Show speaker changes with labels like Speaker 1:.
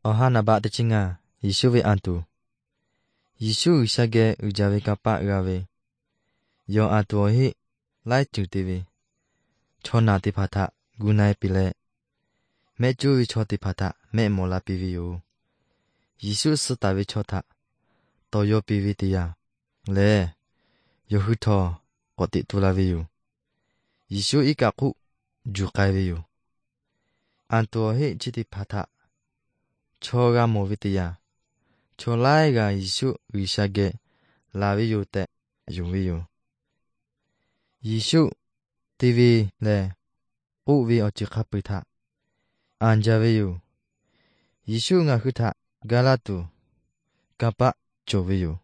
Speaker 1: Ohana ba te chinga, Yishuwe antu. Yishu shage ujave kapa gave. Yo antu ohi, lai chutivi. Chona ti pata, gunai pile. Me juvi choti pata, me mola pivi yu. Yishu sutavi chota. Toyo pivi tiya. Le, yo huto, koti tulavi yu. Yishu ikaku, jukaivi yu. Antu ohi chiti pata. Choga movitiya. Cholaiga Yishu wishage lavi yu te yuvi yu. Yishu tivi le uvi ochikapita. Anjavi yu. Yishu nga huta galatu kapa chovi yu.